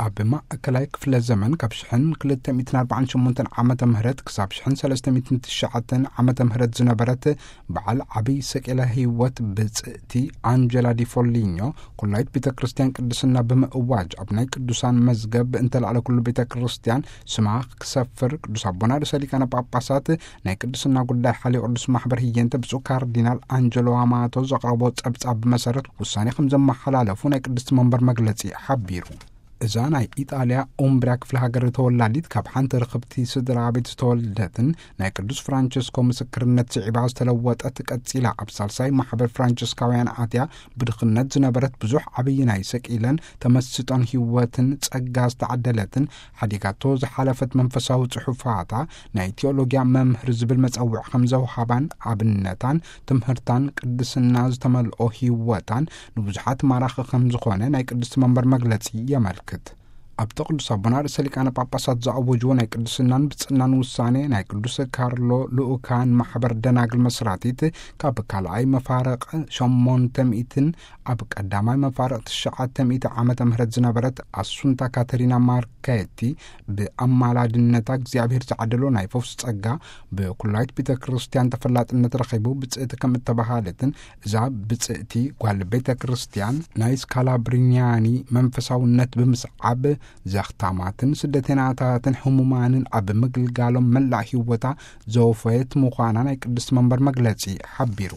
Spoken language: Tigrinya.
ኣብ ማእከላይ ክፍለ ዘመን ካብ ሽሕን ክልተ ሚእትን ኣርባዓን ሸሞንተን ዓመተ ምህረት ክሳብ ሽሕን ሰለስተ ሚእትን ትሽዓተን ዓመተ ምህረት ዝነበረት በዓል ዓብይ ሰቂለ ህይወት ብጽእቲ ኣንጀላ ዲ ፎሊኞ፣ ኩላይት ቤተ ክርስቲያን ቅድስና ብምእዋጅ ኣብ ናይ ቅዱሳን መዝገብ እንተላዕለ ኩሉ ቤተ ክርስቲያን ስማ ክሰፍር፣ ቅዱስ ኣቦና ርእሰ ሊቃነ ጳጳሳት ናይ ቅድስና ጉዳይ ሓልዮ ቅዱስ ማሕበር ህየንተ ብፁዕ ካርዲናል ኣንጀሎ ኣማቶ ዘቕረቦ ጸብጻብ መሰረት ውሳኔ ከም ዘመሓላለፉ ናይ ቅድስቲ መንበር መግለጺ ሓቢሩ። እዛ ናይ ኢጣልያ ኡምብሪያ ክፍለ ሃገር ተወላዲት፣ ካብ ሓንቲ ርኽብቲ ስድራ ቤት ዝተወልደትን ናይ ቅዱስ ፍራንቸስኮ ምስክርነት ስዒባ ዝተለወጠት፣ ቀጺላ ኣብ ሳልሳይ ማሕበር ፍራንቸስካውያን ኣትያ ብድኽነት ዝነበረት፣ ብዙሕ ዓብዪ ናይ ሰቂለን ተመስጦን ህይወትን ጸጋ ዝተዓደለትን፣ ሓዲጋቶ ዝሓለፈት መንፈሳዊ ጽሑፋታ ናይ ቴዎሎጊያ መምህር ዝብል መጸውዕ ከም ዘውሃባን ኣብነታን ትምህርታን ቅድስና ዝተመልኦ ህይወታን ንብዙሓት ማራኺ ከም ዝኾነ ናይ ቅድስቲ መንበር መግለጺ የመልክት። ኣብቲ ቅዱስ ኣቦና ርእሰ ሊቃነ ጳጳሳት ዝኣወጅዎ ናይ ቅድስናን ብጽእናን ውሳኔ፣ ናይ ቅዱስ ካርሎ ልኡካን ማሕበር ደናግል መስራቲት ካብ ካልኣይ መፋርቕ ሸሞንተ ሚእትን ኣብ ቀዳማይ መፋርቕ ትሽዓተ ሚእቲ ዓመተ ምህረት ዝነበረት ኣሱንታ ካተሪና ማርኬቲ፣ ብኣማላድነታ እግዚኣብሔር ዝዓደሎ ናይ ፈውስ ጸጋ ብኩላይት ቤተ ክርስቲያን ተፈላጥነት ረኺቡ ብጽእቲ ከም እተባሃለትን፣ እዛ ብጽእቲ ጓል ቤተ ክርስቲያን ናይ ስካላብሪኛኒ መንፈሳውነት ብምስዓብ ዘኽታማትን ስደተናታትን ህሙማንን ኣብ ምግልጋሎም መላእ ህይወታ ዘወፈየት ምዃና ናይ ቅድስቲ መንበር መግለጺ ሓቢሩ።